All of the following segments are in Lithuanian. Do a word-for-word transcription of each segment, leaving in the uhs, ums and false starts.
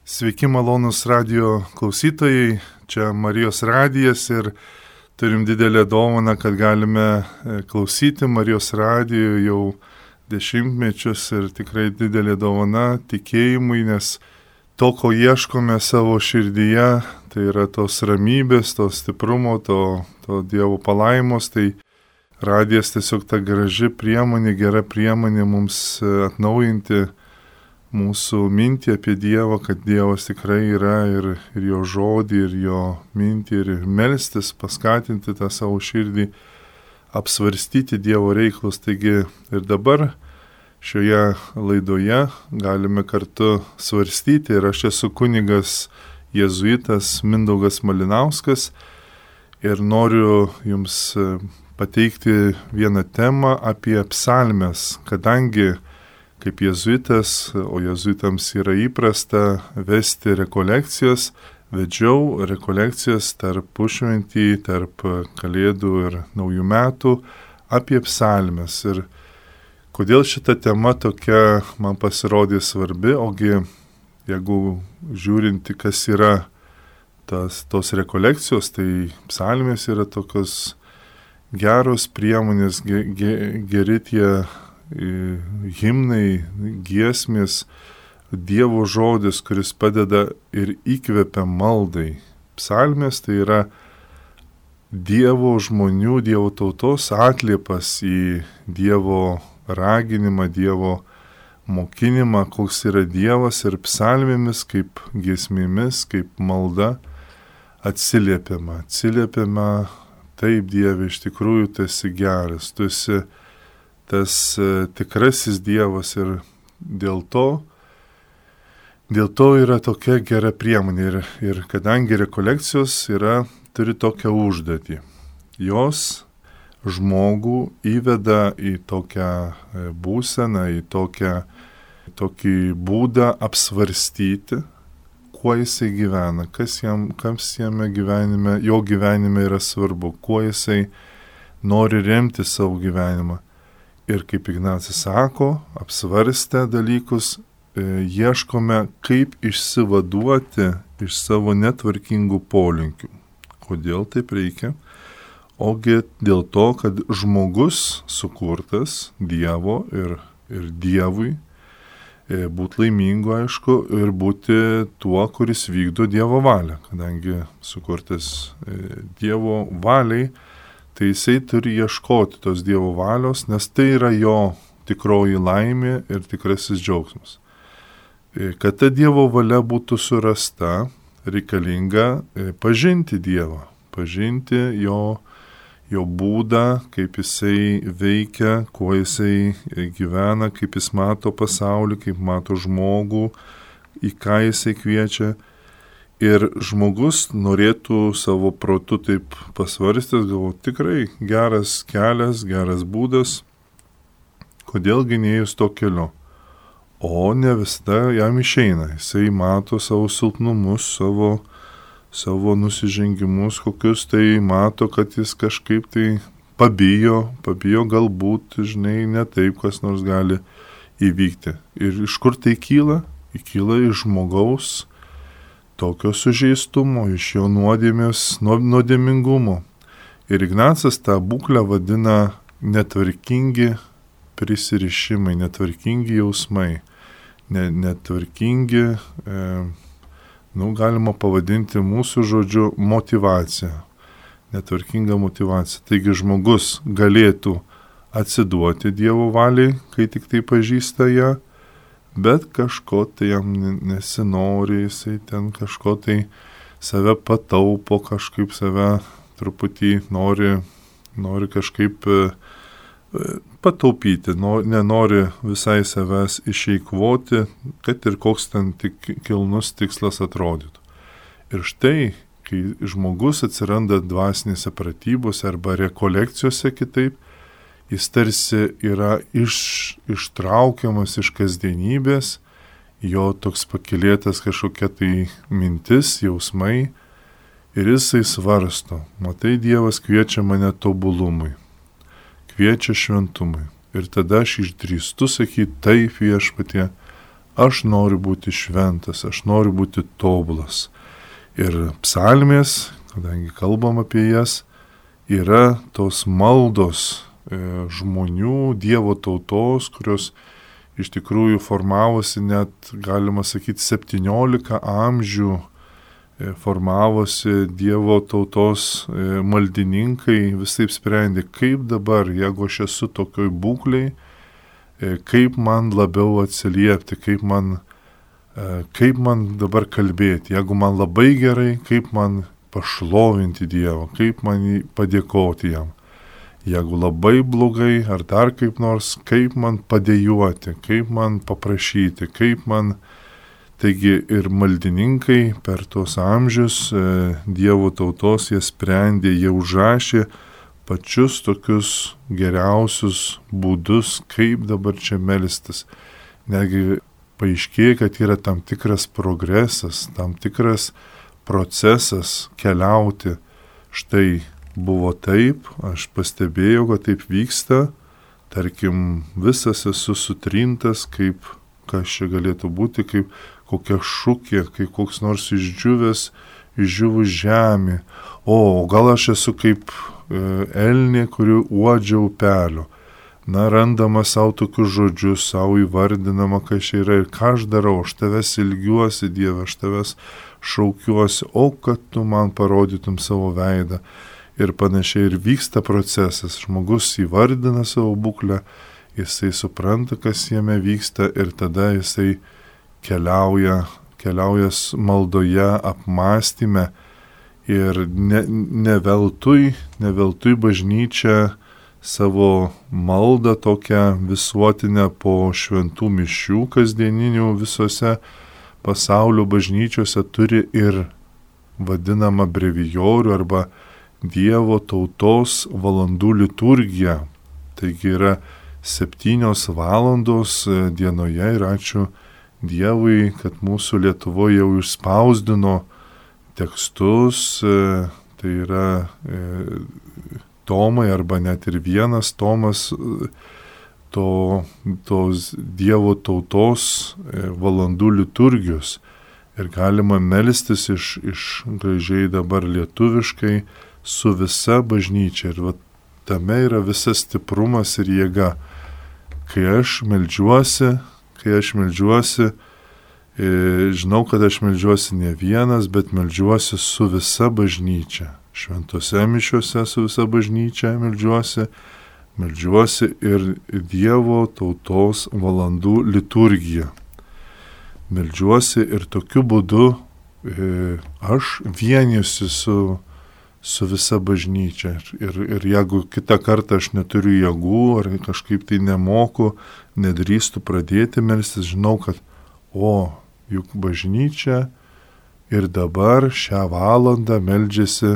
Sveiki malonus radio klausytojai, čia Marijos radijas ir turim didelę dovaną, kad galime klausyti Marijos radijo jau dešimtmečius ir tikrai didelė dovana tikėjimui, nes to, ko ieškome savo širdyje, tai yra tos ramybės, to stiprumo, to, to Dievo palaimos, tai radijas tiesiog ta graži priemonė, gera priemonė mums atnaujinti mūsų mintį apie Dievą, kad Dievas tikrai yra ir, ir jo žodį, ir jo mintį, ir melstis, paskatinti tą savo širdį, apsvarstyti Dievo reikalus. Taigi ir dabar šioje laidoje galime kartu svarstyti, ir aš esu kunigas jėzuitas Mindaugas Malinauskas ir noriu jums pateikti vieną temą apie psalmes, kadangi kaip jėzuitas, o jėzuitams yra įprasta vesti rekolekcijas, vedžiau rekolekcijas tarp pusšventį, tarp Kalėdų ir Naujų metų apie psalmes. Ir kodėl šita tema tokia man pasirodė svarbi, ogi jeigu žiūrinti, kas yra tas, tos rekolekcijos, tai psalmės yra tokios geros priemonės, ge, ge, geri tie himnai, giesmės, Dievo žodis, kuris padeda ir įkvepia maldai. Psalmės tai yra Dievo žmonių, Dievo tautos atliepas į Dievo raginimą, Dievo mokinimą, koks yra Dievas, ir psalmėmis kaip giesmėmis, kaip malda atsiliepiama. Atsiliepiama, taip Dieve, iš tikrųjų tu esi geras, tu esi tas tikrasis Dievas, ir dėl to, dėl to yra tokia gera priemonė. Ir, ir kadangi rekolekcijos yra, turi tokią užduotį, jos žmogų įveda į tokią būseną, į tokią, tokį būdą apsvarstyti, kuo jisai gyvena, kas jam, kas jame gyvenime, jo gyvenime yra svarbu, kuo jisai nori remti savo gyvenimą. Ir kaip Ignacas sako, apsvarstę dalykus, e, ieškome, kaip išsivaduoti iš savo netvarkingų polinkių. Kodėl taip reikia? Ogi dėl to, kad žmogus sukurtas Dievo ir, ir Dievui, e, būti laimingu, aišku, ir būti tuo, kuris vykdo Dievo valią. Kadangi sukurtas e, Dievo valiai, tai jisai turi ieškoti tos Dievo valios, nes tai yra jo tikroji laimė ir tikrasis džiaugsmas. Kad ta Dievo valia būtų surasta, reikalinga pažinti Dievą, pažinti jo, jo būdą, kaip jisai veikia, kuo jisai gyvena, kaip jis mato pasaulį, kaip mato žmogų, į ką jisai kviečia. Ir žmogus norėtų savo protu taip pasvarstęs, galvo, tikrai geras kelias, geras būdas, kodėlgi neėjus to keliu. O ne visada jam išeina, jisai mato savo silpnumus, savo, savo nusižengimus, kokius tai mato, kad jis kažkaip tai pabijo, pabijo galbūt, žinai, ne taip, kas nors gali įvykti. Ir iš kur tai kyla? Įkyla iš žmogaus tokio sužeistumo, iš jo nuodėmės, nuodėmingumo. Ir Ignacas tą būklę vadina netvarkingi prisirišimai, netvarkingi jausmai, ne, netvarkingi, e, nu, galima pavadinti mūsų žodžiu motyvacija, netvarkinga motyvacija. Taigi žmogus galėtų atsiduoti Dievo valiai, kai tik tai pažįsta ją, bet kažko tai jam nesinori, jisai ten kažko tai save pataupo, kažkaip save truputį nori, nori kažkaip pataupyti, nenori visai savęs išeikvoti, kad ir koks ten tik kilnus tikslas atrodytų. Ir štai, kai žmogus atsiranda dvasinėse pratybose arba rekolekcijose kitaip, jis tarsi yra iš, ištraukiamas iš kasdienybės, jo toks pakilėtas kažkokia tai mintis, jausmai, ir jisai svarsto, matai, Dievas kviečia mane tobulumui, kviečia šventumui. Ir tada aš išdrįstu sakyti, taip viešpatie, Aš noriu būti šventas, aš noriu būti tobulas. Ir psalmės, kadangi kalbam apie jas, yra tos maldos e, žmonių, Dievo tautos, kurios iš tikrųjų formavosi net, galima sakyti, septyniolika amžių e, formavosi Dievo tautos e, maldininkai, visaip sprendė, kaip dabar, jeigu aš esu tokioj būklei, e, kaip man labiau atsiliepti, kaip man, e, kaip man dabar kalbėti, jeigu man labai gerai, kaip man pašlovinti Dievą, kaip man padėkoti jam. Jeigu labai blogai ar dar kaip nors, kaip man padėjuoti, kaip man paprašyti, kaip man... Taigi ir maldininkai per tuos amžius e, Dievo tautos jie sprendė, jie užrašė pačius tokius geriausius būdus, kaip dabar čia melstis. Negi paaiškėja, kad yra tam tikras progresas, tam tikras procesas keliauti. Štai buvo taip, aš pastebėjau, kad taip vyksta, tarkim, visas esu sutrintas, kaip, kas čia galėtų būti, kaip kokia šukė, kaip koks nors išdžiūvęs, išdžiūvus žemė. O, gal aš esu kaip e, elnė, kuri uodžia upelio. Na, randama savo tokius žodžius, savo įvardinama, kas čia yra ir ką aš darau, aš tavęs ilgiuosi, Dieve, aš tavęs šaukiuosi, o kad tu man parodytum savo veidą. Ir panašiai ir vyksta procesas. Žmogus įvardina savo būklę, jisai supranta, kas jame vyksta ir tada jisai keliauja, keliauja maldoje, apmąstyme ir ne, ne veltui, ne veltui bažnyčia savo maldą tokią visuotinę po šventų mišių kasdieninių visose pasaulio bažnyčiose turi ir vadinamą brevijorių arba Dievo tautos valandų liturgiją. Taigi yra septynios valandos dienoje ir ačiū Dievui, kad mūsų Lietuvoje jau išspausdino tekstus, tai yra tomai arba net ir vienas tomas to, tos Dievo tautos valandų liturgijos. Ir galima melstis iš, iš gražiai dabar lietuviškai su visa bažnyčia. Ir va, tame yra visas stiprumas ir jėga. Kai aš meldžiuosi, kai aš meldžiuosi, e, žinau, kad aš meldžiuosi ne vienas, bet meldžiuosi su visa bažnyčia. Šventose mišiuose su visa bažnyčia meldžiuosi, meldžiuosi ir Dievo tautos valandų liturgiją. Meldžiuosi ir tokiu būdu e, aš vienijusi su, su visa bažnyčia. Ir, ir jeigu kitą kartą aš neturiu jėgų ar kažkaip tai nemoku, nedrįstu pradėti melstis, žinau, kad o, juk bažnyčia ir dabar šią valandą meldžiasi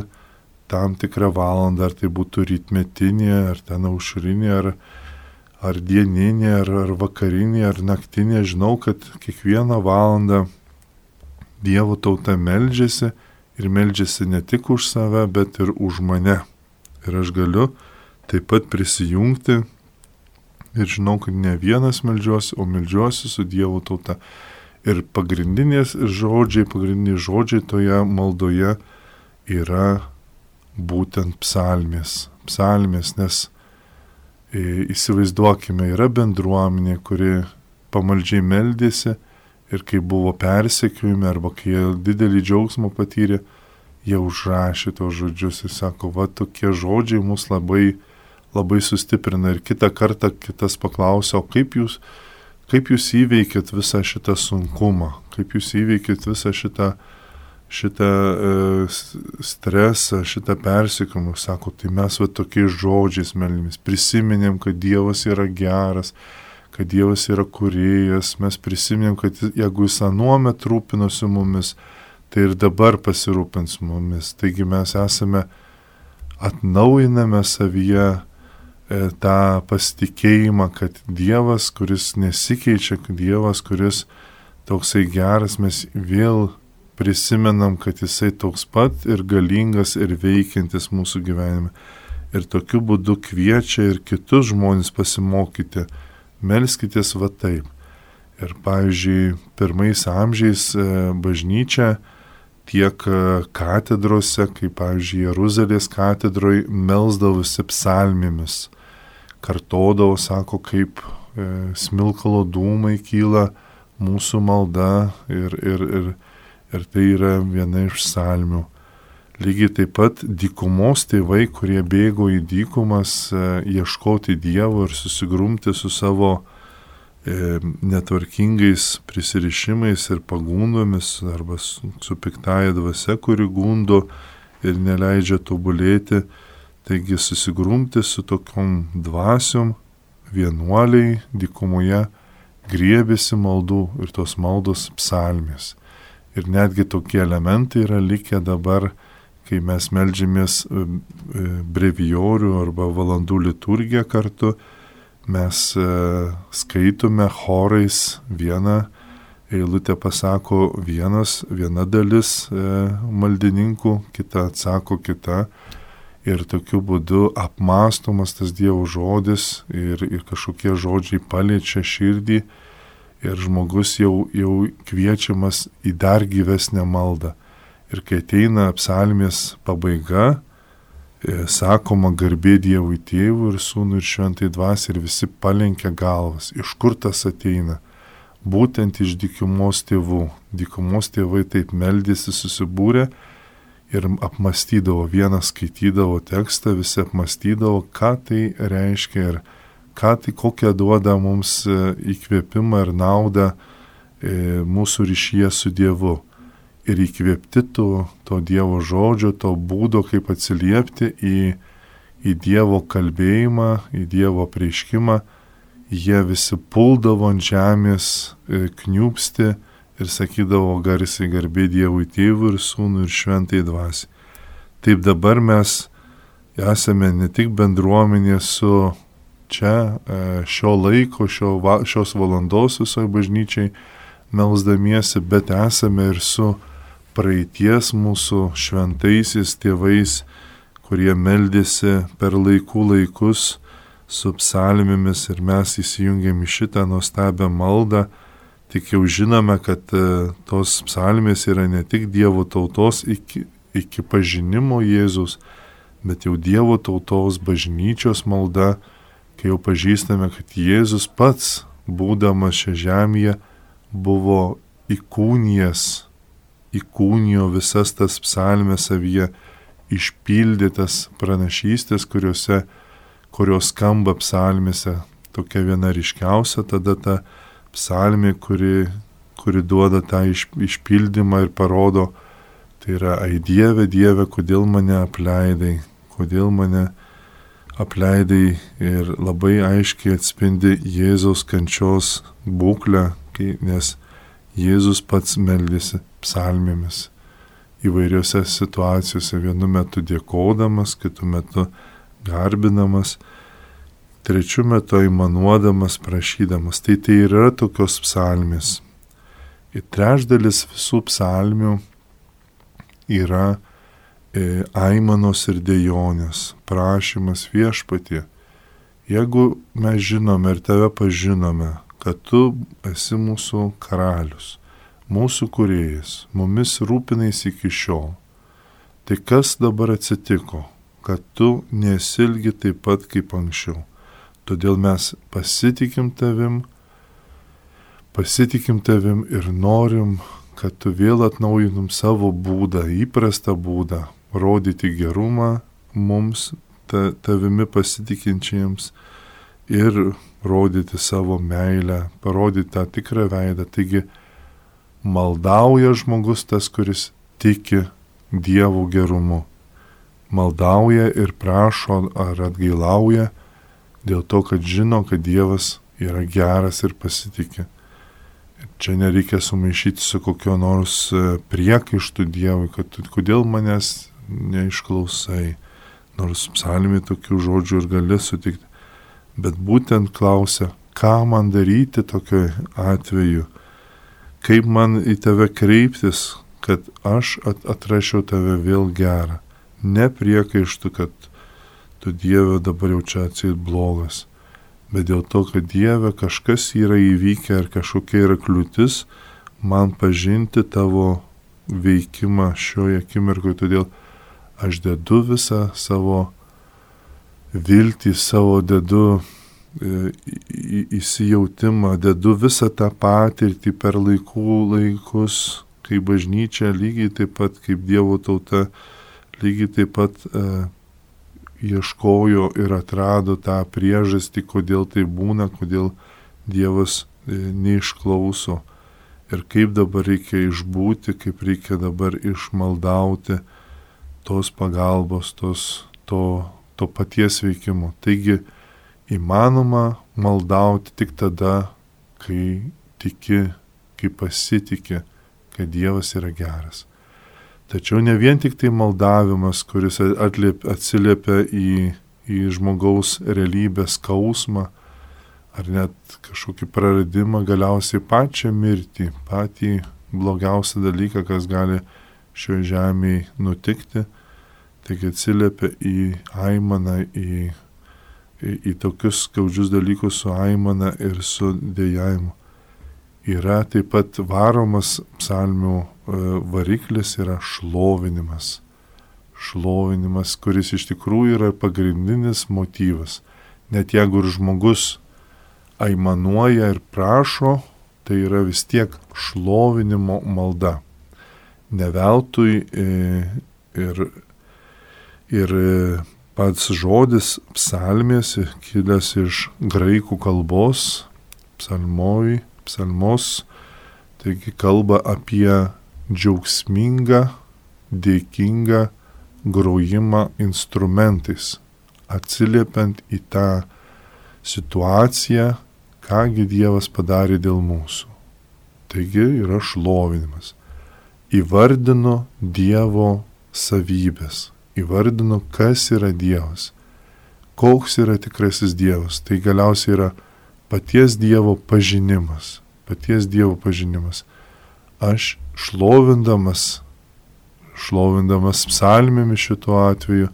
tam tikrą valandą, ar tai būtų rytmetinė, ar ten aušrinė, ar, ar dieninė, ar, ar vakarinė, ar naktinė. Žinau, kad kiekvieną valandą Dievo tauta meldžiasi ir meldžiasi ne tik už save, bet ir už mane. Ir aš galiu taip pat prisijungti ir žinau, kad ne vienas meldžiuosi, o meldžiuosi su Dievo tauta. Ir pagrindinės žodžiai, pagrindiniai žodžiai toje maldoje yra būtent psalmės. Psalmės, nes e, įsivaizduokime, yra bendruomenė, kuri pamaldžiai meldėsi ir kai buvo persekiojami arba kai jie didelį džiaugsmą patyrė, jie užrašė tos žodžius ir sako, va tokie žodžiai mus labai, labai sustiprina. Ir kitą kartą kitas paklausė, o kaip jūs, kaip jūs įveikėt visą šitą sunkumą, kaip jūs įveikėt visą šitą šitą e, stresą, šitą persekiojimą, sako, tai mes va tokiais žodžiais meldėmės, prisiminėm, kad Dievas yra geras, kad Dievas yra kūrėjas, mes prisiminėm, kad jeigu jis anuomet rūpinosi mumis, tai ir dabar pasirūpins mumis. Taigi mes esame, atnaujiname savyje e, tą pasitikėjimą, kad Dievas, kuris nesikeičia, Dievas, kuris toksai geras, mes vėl prisimenam, kad jisai toks pat ir galingas ir veikiantis mūsų gyvenime. Ir tokiu būdu kviečia ir kitus žmonės pasimokyti. Melskitės va taip. Ir, pavyzdžiui, pirmais amžiais bažnyčia tiek katedrose, kaip, pavyzdžiui, Jeruzalės katedroje melsdavosi psalmėmis. Kartodavo, sako, kaip e, smilkalo dūmai kyla mūsų malda ir, ir, ir, ir tai yra viena iš psalmių. Lygiai taip pat dykumos tėvai, kurie bėgo į dykumas e, ieškoti Dievo ir susigrumti su savo e, netvarkingais prisirišimais ir pagundomis arba su, su piktaja dvasia, kuri gundo ir neleidžia tobulėti. Taigi susigrumti su tokiom dvasiom vienuoliai dykumoje griebėsi maldų ir tos maldos psalmės. Ir netgi tokie elementai yra likę dabar, kai mes meldžiamės brevijorių arba valandų liturgiją kartu, mes skaitome chorais vieną eilutę pasako vienas, viena dalis maldininkų, kita atsako kita. Ir tokiu būdu apmąstomas tas Dievo žodis ir, ir kažkokie žodžiai paliečia širdį ir žmogus jau, jau kviečiamas į dar gyvesnę maldą. Ir kai ateina psalmės pabaiga, e, sakoma garbė Dievui Tėvui ir Sūnui ir Šventai Dvasiai ir visi palenkia galvas. Iš kur tas ateina? Būtent iš dykumos tėvų. Dykumos tėvai taip meldėsi susibūrė ir apmastydavo, vienas skaitydavo tekstą, visi apmastydavo, ką tai reiškia ir ką tai, kokią duoda mums įkvėpimą ir naudą e, mūsų ryšyje su Dievu. Ir įkvėpti to, to Dievo žodžio, to būdo, kaip atsiliepti į, į Dievo kalbėjimą, į Dievo apreiškimą, jie visi puldavo ant žemės, e, kniūpsti, ir sakydavo garsiai garbė Dievui Tėvui ir Sūnui ir Šventai Dvasiai. Taip dabar mes esame ne tik bendruomenė su čia šio laiko, šio, šios valandos visoje bažnyčiai melsdamiesi, bet esame ir su praeities mūsų šventaisiais tėvais, kurie meldėsi per laikų laikus su psalmėmis ir mes įsijungėm į šitą nuostabią maldą. Tik jau žinome, kad tos psalmės yra ne tik Dievo tautos iki, iki pažinimo Jėzus, bet jau Dievo tautos bažnyčios malda, kai jau pažįstame, kad Jėzus pats, būdamas šią žemėje, buvo įkūnijęs, įkūnijo visas tas psalmės savyje, išpildytas pranašystės, kuriuose, kurios skamba psalmėse. Tokia viena ryškiausia tada ta psalmė, kuri, kuri duoda tą iš, išpildymą ir parodo, tai yra, ai Dieve, Dieve, kodėl mane apleidai, kodėl mane apleidai ir labai aiškiai atspindi Jėzaus kančios būklę, kai, nes Jėzus pats meldėsi psalmėmis įvairiose situacijose, vienu metu dėkodamas, kitu metu garbinamas, trečiu metu aimanuodamas, prašydamas. Tai tai yra tokios psalmės. Ir trečdalis visų psalmių yra e, aimanos ir dejonės, prašymas Viešpatie. Jeigu mes žinome ir tave pažinome, kad tu esi mūsų karalius, mūsų kūrėjas, mumis rūpinais iki šiol, tai kas dabar atsitiko, kad tu nesilgi taip pat kaip anksčiau? Todėl mes pasitikim tavim, pasitikim tavim ir norim, kad tu vėl atnaujintum savo būdą, įprastą būdą, rodyti gerumą mums, ta, tavimi pasitikinčiams ir rodyti savo meilę, parodyti tą tikrą veidą. Taigi maldauja žmogus tas, kuris tiki Dievo gerumu. Maldauja ir prašo ar atgailauja, dėl to, kad žino, kad Dievas yra geras ir pasitikė. Čia nereikia sumaišyti su kokio nors priekaištų Dievui, kad kodėl manęs neišklausai, nors psalmė tokių žodžių ir gali sutikti. Bet būtent klausia, ką man daryti tokiu atveju, kaip man į tave kreiptis, kad aš atrašiau tave vėl gerą. Ne priekaištų, kad tu Dieve dabar jau čia atseit blogas. bet dėl to, kad Dieve kažkas yra įvykę ar kažkokia yra kliūtis man pažinti tavo veikimą šioje akimirkoje, todėl aš dedu visą savo viltį, savo dedu e, į, įsijautimą, dedu visą tą patirtį per laikų laikus, kai bažnyčia lygiai taip pat, kaip Dievo tauta, lygiai taip pat e, ieškojo ir atrado tą priežastį, kodėl tai būna, kodėl Dievas e, neišklauso. Ir kaip dabar reikia išbūti, kaip reikia dabar išmaldauti tos pagalbos, tos, to, to paties veikimo. Taigi įmanoma maldauti tik tada, kai tiki, kai pasitiki, kad Dievas yra geras. Tačiau ne vien tik tai maldavimas, kuris atliep, atsiliepia į, į žmogaus realybės skausmą, ar net kažkokį praradimą, galiausiai pačią mirtį, patį blogiausią dalyką, kas gali šioje žemėje nutikti, taigi atsiliepia į aimaną, į, į, į tokius skaudžius dalykus su aimana ir su dėjavimu. Yra taip pat varomas psalmių variklis, yra šlovinimas. Šlovinimas, kuris iš tikrųjų yra pagrindinis motyvas. Net jeigu ir žmogus aimanuoja ir prašo, tai yra vis tiek šlovinimo malda. Ne veltui ir, ir pats žodis psalmės, kilęs iš graikų kalbos, psalmoj, psalmos, taigi kalba apie džiaugsmingą, dėkingą grojimą instrumentais, atsiliepiant į tą situaciją, kągi Dievas padarė dėl mūsų. Taigi yra šlovinimas. Įvardino Dievo savybės, įvardino, kas yra Dievas, koks yra tikrasis Dievas. Tai galiausiai yra paties Dievo pažinimas, paties Dievo pažinimas. Aš šlovindamas, šlovindamas psalmėmis šituo atveju,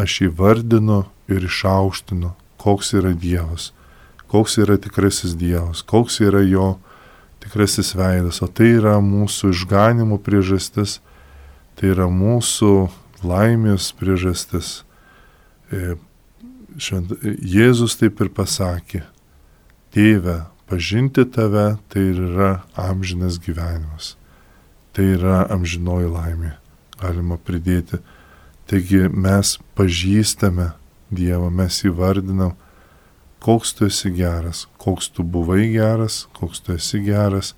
aš įvardinu ir išaukštinu, koks yra Dievas, koks yra tikrasis Dievas, koks yra jo tikrasis veidas. O tai yra mūsų išganimo priežastis, tai yra mūsų laimės priežastis. Jėzus taip ir pasakė: Tėve, pažinti tave, tai yra amžinas gyvenimas. Tai yra amžinoji laimė, galima pridėti. Taigi mes pažįstame Dievą, mes įvardinam, koks tu esi geras, koks tu buvai geras, koks tu esi geras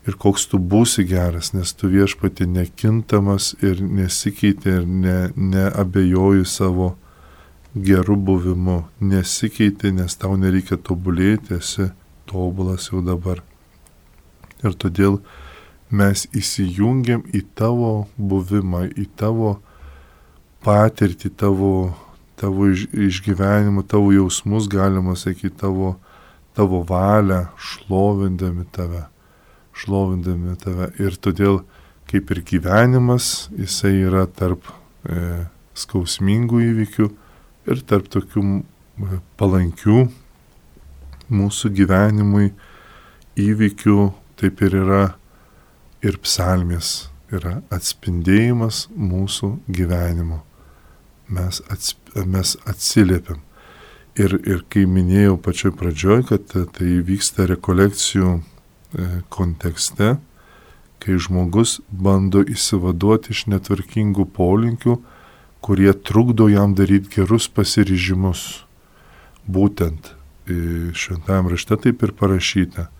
ir koks tu būsi geras, nes tu viešpatį nekintamas ir nesikeitė ir ne, neabejoji savo geru buvimu, nesikeitė, nes tau nereikia tobulėti, esi tobulas jau dabar. Ir todėl mes įsijungiam į tavo buvimą, į tavo patirtį, tavo, tavo išgyvenimą, tavo jausmus, galima sakyti, tavo, tavo valią, šlovindami tave, šlovindami tave. Ir todėl, kaip ir gyvenimas, jisai yra tarp e, skausmingų įvykių ir tarp tokių palankių mūsų gyvenimui įvykių, taip ir yra ir psalmės, yra atspindėjimas mūsų gyvenimo. Mes, atsp, mes atsiliepiam. Ir, ir kai minėjau pačioj pradžioj, kad tai vyksta rekolekcijų kontekste, kai žmogus bando įsivaduoti iš netvarkingų polinkių, kurie trukdo jam daryti gerus pasiryžimus. Būtent šventajame rašte taip ir parašyta: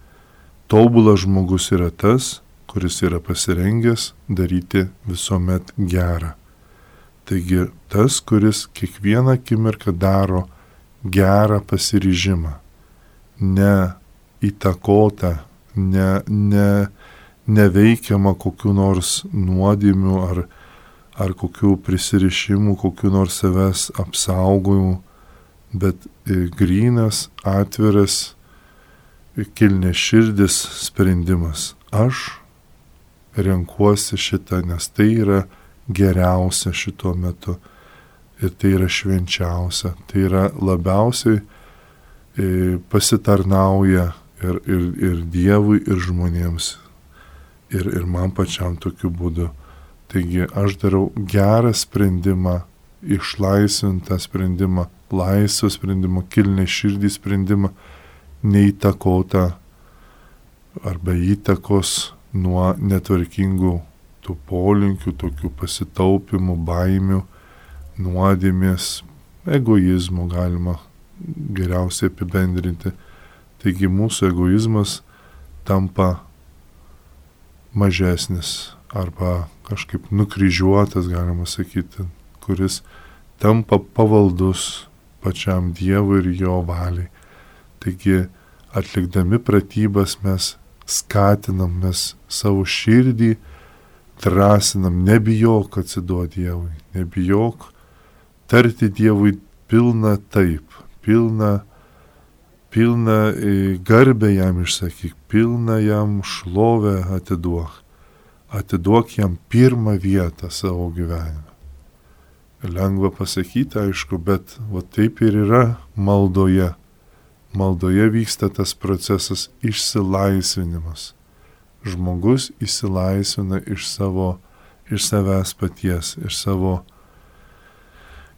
tobulas žmogus yra tas, kuris yra pasirengęs daryti visuomet gerą. Taigi tas, kuris kiekvieną akimirką daro gerą pasiryžimą, ne įtakota, ne, ne, neveikiama kokiu nors nuodėmių ar, ar kokiu prisirišimų, kokiu nors savęs apsaugojimų, bet grynas, atviras, kilniaširdis sprendimas. Aš renkuosi šitą, nes tai yra geriausia šituo metu ir tai yra švenčiausia, tai yra labiausiai pasitarnauja ir, ir, ir Dievui, ir žmonėms. Ir, ir man pačiam tokiu būdu. Taigi aš darau gerą sprendimą, išlaisvintą sprendimą, laisvą sprendimą, kilnę širdį sprendimą, neįtakotą arba įtakos nuo netvarkingų tų polinkių, tokių pasitaupimų, baimių, nuodėmės, egoizmo galima geriausiai apibendrinti. Taigi mūsų egoizmas tampa mažesnis arba kažkaip nukryžiuotas, galima sakyti, kuris tampa pavaldus pačiam Dievui ir jo valiai. Taigi atlikdami pratybas mes skatinam, mes savo širdį drąsinam, nebijok atsiduoti Dievui, nebijok tarti Dievui pilna taip, pilna pilna garbę jam išsakyk, pilna jam šlovę atiduok. Atiduok jam pirmą vietą savo gyvenime. Lengva pasakyti, aišku, bet va taip ir yra maldoje. Maldoje vyksta tas procesas išsilaisvinimas. Žmogus išsilaisvina iš savo, iš savęs paties, iš savo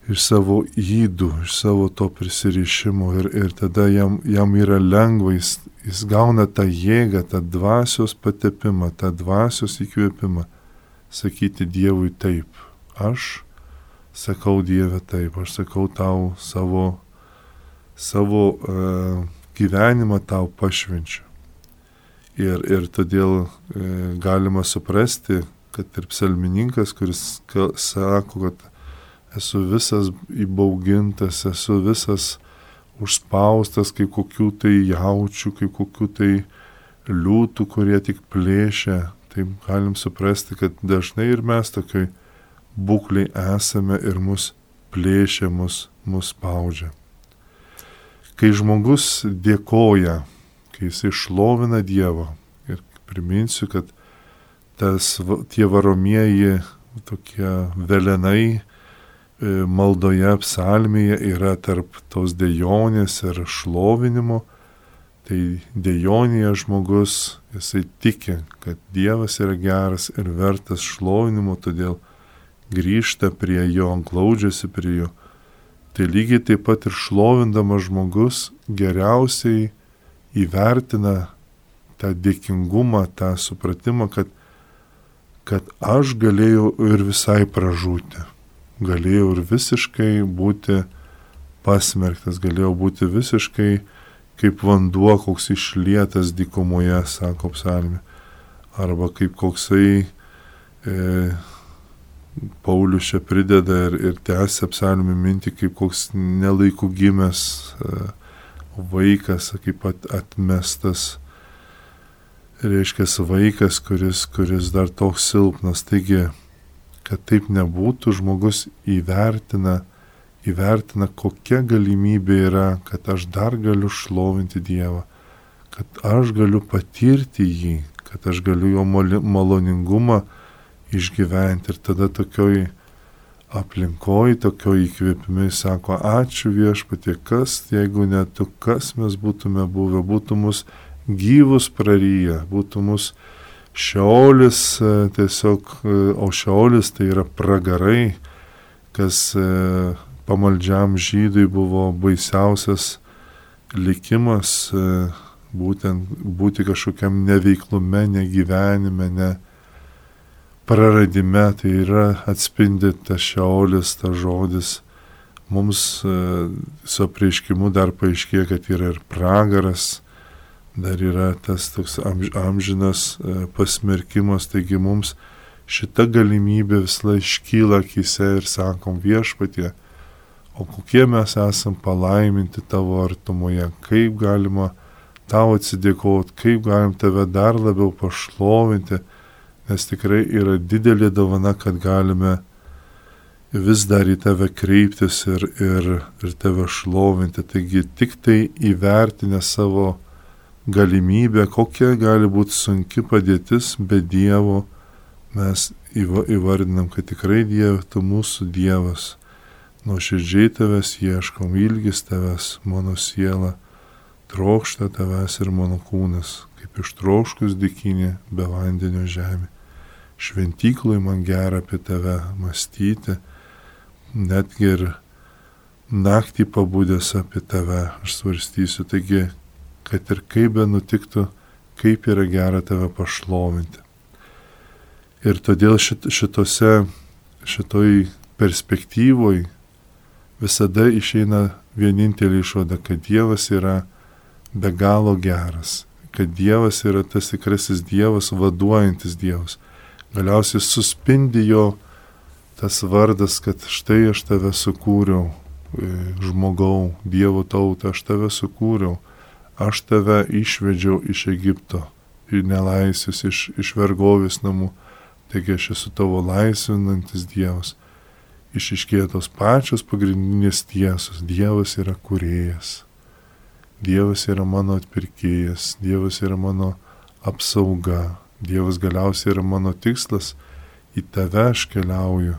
iš savo įdų, iš savo to prisirišimo ir, ir tada jam, jam yra lengva, jis, jis gauna tą jėgą, tą dvasios patepimą, tą dvasios įkvėpimą, sakyti Dievui taip. Aš sakau Dieve taip, aš sakau tau savo, savo uh, gyvenimą tau pašvenčiu. Ir, ir todėl uh, galima suprasti, kad ir psalmininkas, kuris ka, sako, kad esu visas įbaugintas, esu visas užspaustas kaip kokių tai jaučių, kaip kokių tai liūtų, kurie tik plėšia. Tai galim suprasti, kad dažnai ir mes tokioj būklei esame ir mus plėšia, mus, mus spaudžia. Kai žmogus dėkoja, kai jis išlovina Dievą, ir priminsiu, kad tas, tie varomieji tokie velenai maldoje, psalmėje yra tarp tos dejonės ir šlovinimo, tai dejonėje žmogus, jisai tiki, kad Dievas yra geras ir vertas šlovinimo, todėl grįžta prie jo, glaudžiasi prie jo. Tai lygiai taip pat ir šlovindamas žmogus geriausiai įvertina tą dėkingumą, tą supratimą, kad, kad aš galėjau ir visai pražūti. Galėjau ir visiškai būti pasmerktas, galėjau būti visiškai kaip vanduo, koks išlietas dykumoje, sako psalmė, arba kaip koksai e, Paulius čia prideda ir, ir tęsia psalmė mintį, kaip koks nelaikų gimęs e, vaikas, kaip at, atmestas, reiškia vaikas, kuris, kuris dar toks silpnas. Taigi, kad taip nebūtų, žmogus įvertina, įvertina, kokia galimybė yra, kad aš dar galiu šlovinti Dievą, kad aš galiu patirti jį, kad aš galiu jo maloningumą išgyventi. Ir tada tokioj aplinkoj, tokioj įkvėpimai sako, ačiū Viešpatie, kas, jeigu ne tu, kas mes būtume buvę, būtų mus gyvus praryję, būtų mus Šeolis tiesiog, o Šeolis tai yra pragarai, kas pamaldžiam žydui buvo baisiausias likimas, būtent būti kažkokiam neveiklume, negyvenime, ne praradime, tai yra atspindi tas Šeolis, tas žodis. Mums su apreiškimu dar paaiškėja, kad yra ir pragaras, dar yra tas toks amžinas pasmerkimas, taigi mums šita galimybė visą iškyla akyse ir sakom, Viešpatie, o kokie mes esam palaiminti tavo artumoje, kaip galima tau atsidėkoti, kaip galim tave dar labiau pašlovinti, nes tikrai yra didelė dovana, kad galime vis dar į tave kreiptis ir, ir, ir tave šlovinti. Taigi tik tai įvertinę savo galimybę, kokia gali būti sunki padėtis be Dievo, mes įvardinam, kad tikrai Dieve, tu mūsų Dievas, nuoširdžiai tavęs ieškom, ilgis tavęs, mano siela, trokšta tavęs ir mano kūnas, kaip ištroškus dykinė be vandenio žemė. Šventykloj man gera apie tave mąstyti, netgi ir naktį pabudęs apie tave aš svarstysiu. Taigi, kad ir kaip be nutiktų, kaip yra gera tave pašlovinti. Ir todėl šit, šitose, šitoj perspektyvoj visada išeina vienintelė išvada, kad Dievas yra be galo geras, kad Dievas yra tas tikrasis Dievas, vaduojantis Dievas. Galiausiai suspindi jo tas vardas, kad štai aš tave sukūriau, žmogau, Dievo tautą, aš tave sukūriau, aš tave išvedžiau iš Egipto, į nelaisvės, iš, iš vergovės namų. Taigi aš esu tavo laisvinantis Dievas. Išiškėja tos pačios pagrindinės tiesos. Dievas yra kūrėjas. Dievas yra mano atpirkėjas. Dievas yra mano apsauga. Dievas galiausiai yra mano tikslas. Į tave aš keliauju.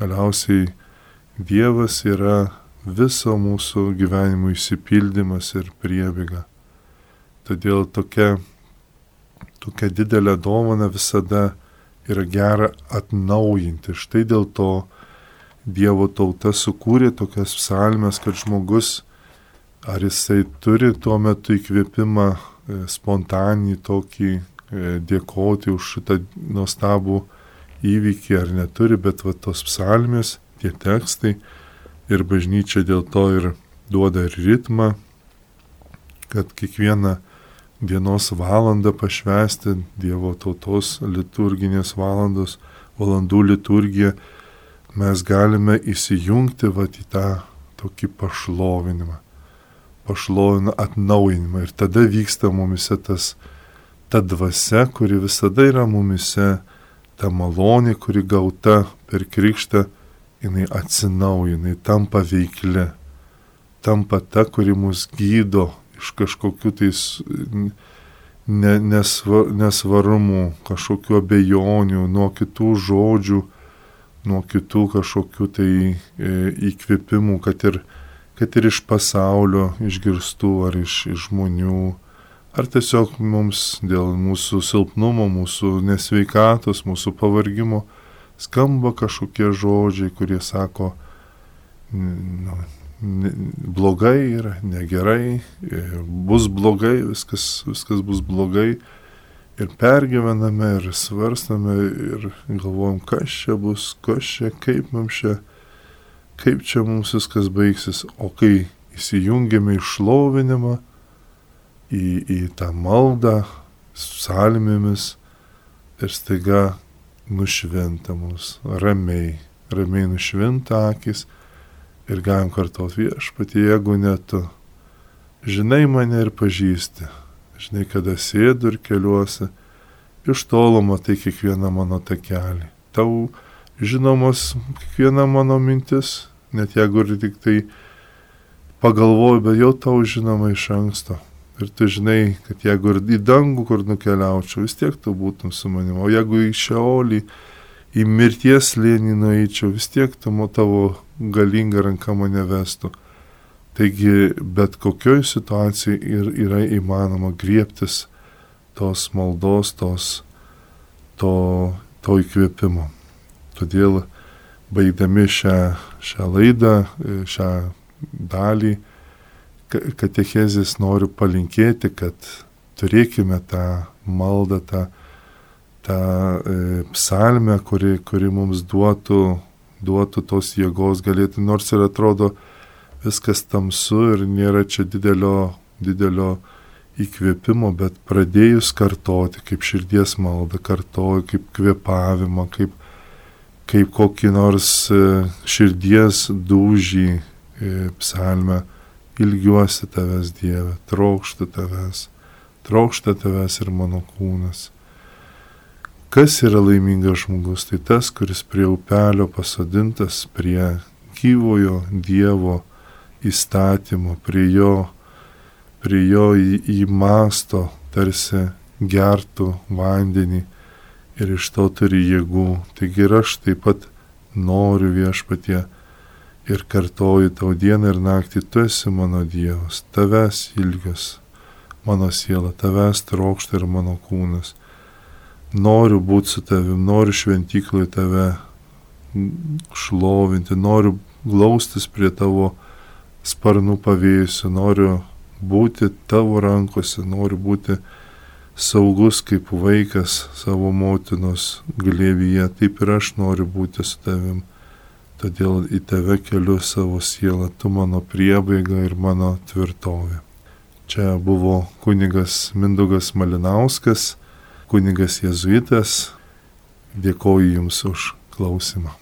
Galiausiai Dievas yra viso mūsų gyvenimo išsipildymas ir priebėga. Todėl tokia, tokia didelė dovana visada yra gera atnaujinti. Štai dėl to Dievo tauta sukūrė tokias psalmes, kad žmogus, ar jisai turi tuo metu įkvėpimą spontaninį tokį dėkoti už šitą nuostabų įvykį ar neturi, bet va tos psalmės, tie tekstai ir bažnyčia dėl to ir duoda ir ritmą, kad kiekvieną dienos valandą pašvęsti Dievo tautos liturginės valandos, valandų liturgiją, mes galime įsijungti vat į tą tokį pašlovinimą, pašlovinimą, atnaujinimą. Ir tada vyksta mumise tas, ta dvasia, kuri visada yra mumise, ta malonė, kuri gauta per krikštą, jinai atsinaujina, jinai tampa veikli, tampa ta, kuri mus gydo iš kažkokių tais ne, nesvar, nesvarumų, kažkokių abejonių, nuo kitų žodžių, nuo kitų kažkokių tai e, įkvėpimų, kad ir, kad ir iš pasaulio išgirstų ar iš, iš žmonių, ar tiesiog mums dėl mūsų silpnumo, mūsų nesveikatos, mūsų pavargimo skamba kažkokie žodžiai, kurie sako, nu, blogai yra, negerai, bus blogai, viskas, viskas bus blogai. Ir pergyvename, ir svarstame, ir galvojam, kas čia bus, kas čia, kaip mums čia, kaip čia mums viskas baigsis. O kai įsijungiame į šlovinimą, į, į tą maldą, psalmėmis, ir staiga nušvinta mus, ramiai, ramiai nušvinta akis, ir galim kartuoti Viešpatie, jeigu ne tu, žinai mane ir pažįsti. Žinai, kada sėdu ir keliuosi, iš tolo matai kiekvieną mano takelį. Tau žinomos kiekviena mano mintis, net jeigu ir tik tai pagalvoju, bet jau tau žinoma iš anksto. Ir tu žinai, kad jeigu ir į dangų, kur nukeliaučiau, vis tiek tu būtum su manimi. O jeigu į Šeolį, į mirties slėnį nueičiau, vis tiek tu tavo galinga ranka mane vestų. Taigi, bet kokioj situacijai ir yra įmanoma griebtis tos maldos, tos, to, to įkvėpimo. Todėl, baigdami šią, šią laidą, šią dalį, katechezės noriu palinkėti, kad turėkime tą maldą, tą, tą e, psalmę, kuri, kuri mums duotų, duotų tos jėgos, galėtų, nors ir atrodo, viskas tamsu ir nėra čia didelio, didelio įkvėpimo, bet pradėjus kartoti, kaip širdies maldą, kartoju, kaip kvėpavimą, kaip, kaip kokį nors širdies dūžį psalmę, ilgiuosi tavęs, Dieve, trokšta tavęs, trokšta tavęs ir mano kūnas. Kas yra laimingas žmogus? Tai tas, kuris prie upelio pasodintas, prie gyvojo Dievo įstatymo, prie jo, prie jo į, įmasto, tarsi gertų vandenį ir iš to turi jėgų. Taigi ir aš taip pat noriu Viešpatie ir kartoju tau dieną ir naktį, tu esi mano Dievas, tavęs ilgios mano siela, tavęs trokšta ir mano kūnas. Noriu būti su tavim, noriu šventyklai tave šlovinti, noriu glaustis prie tavo sparnų pavėsių, noriu būti tavo rankose, noriu būti saugus kaip vaikas savo motinos glėbyje, taip ir aš noriu būti su tavim. Todėl į tave keliu savo sielą, tu mano priebaiga ir mano tvirtovė. Čia buvo kunigas Mindaugas Malinauskas, kunigas jėzuitas. Dėkoju Jums už klausimą.